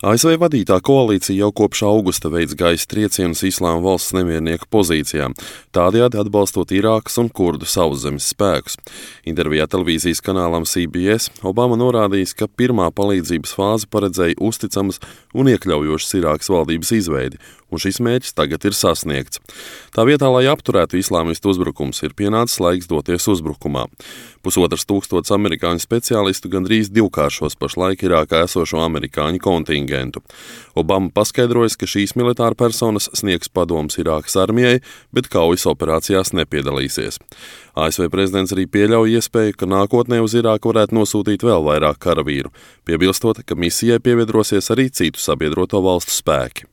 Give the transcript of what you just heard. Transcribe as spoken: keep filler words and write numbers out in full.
A S V vadītā koalīcija jau kopš augusta veids gaisa triecienus Islāma valsts nemiernieku pozīcijām, tādējādi atbalstot Irākas un kurdu sauszemes spēkus. Intervijā televīzijas kanālam C B S Obama norādījis, ka pirmā palīdzības fāze paredzēja uzticamas un iekļaujošas Irākas valdības izveidi, un šis mērķis tagad ir sasniegts. Tā vietā, lai apturētu islāmistu uzbrukums, ir pienācis laiks doties uzbrukumā. Pusotras tūkstotis amerikāņu speciālistu gandrīz divkāršos pašlaik Irākā esošo amerikāņu kontingentu. Obama paskaidrojas, ka šīs militāra personas sniegs padomus Irākas armijai, bet kaujas operācijās nepiedalīsies. A S V prezidents arī pieļauj iespēju, ka nākotnē uz Irāku varētu nosūtīt vēl vairāk karavīru, piebilstot, ka misijai pievienosies arī citu sabiedroto valstu spēki.